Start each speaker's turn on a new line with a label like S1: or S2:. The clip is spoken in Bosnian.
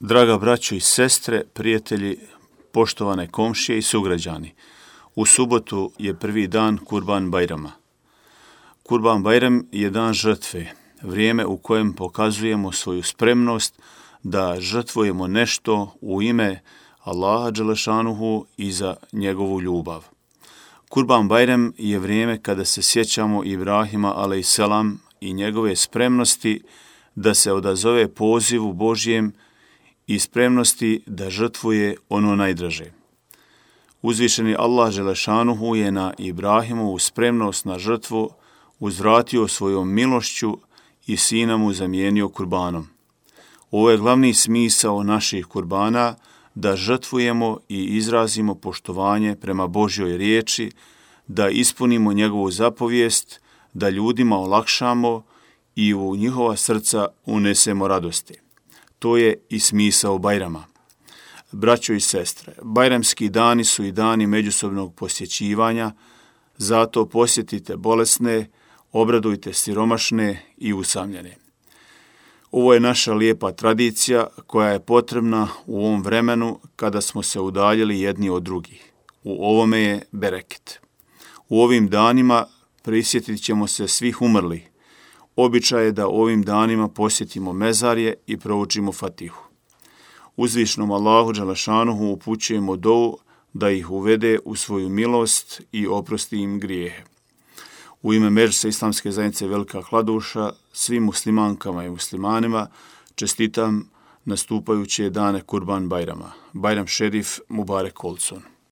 S1: Draga braćo i sestre, prijatelji, poštovane komšije i sugrađani, u subotu je prvi dan Kurban Bajrama. Kurban Bajram je dan žrtve, vrijeme u kojem pokazujemo svoju spremnost da žrtvujemo nešto u ime Allaha dželešanuhu i za njegovu ljubav. Kurban Bajram je vrijeme kada se sjećamo Ibrahima alejselam i njegove spremnosti da se odazove pozivu Božjem i spremnosti da žrtvuje ono najdraže. Uzvišeni Allah dželešanuhu je na Ibrahimovu spremnost na žrtvu uzvratio svojom milošću i sina mu zamijenio kurbanom. Ovo je glavni smisao naših kurbana, da žrtvujemo i izrazimo poštovanje prema Božjoj riječi, da ispunimo njegovu zapovijest, da ljudima olakšamo i u njihova srca unesemo radosti. To je i smisao Bajrama. Braćo i sestre, bajramski dani su i dani međusobnog posjećivanja, zato posjetite bolesne, obradujte siromašne i usamljene. Ovo je naša lijepa tradicija koja je potrebna u ovom vremenu kada smo se udaljili jedni od drugih. U ovome je bereket. U ovim danima prisjetit ćemo se svih umrlih. Običaj je da ovim danima posjetimo mezarje i proučimo Fatihu. Uzvišnom Allahu dželešanuhu upućujemo dovu da ih uvede u svoju milost i oprosti im grijehe. U ime Međlisa Islamske zajednice Velika Kladuša svim muslimankama i muslimanima čestitam nastupajuće dane Kurban Bajrama. Bajram šerif Mubarek olsun.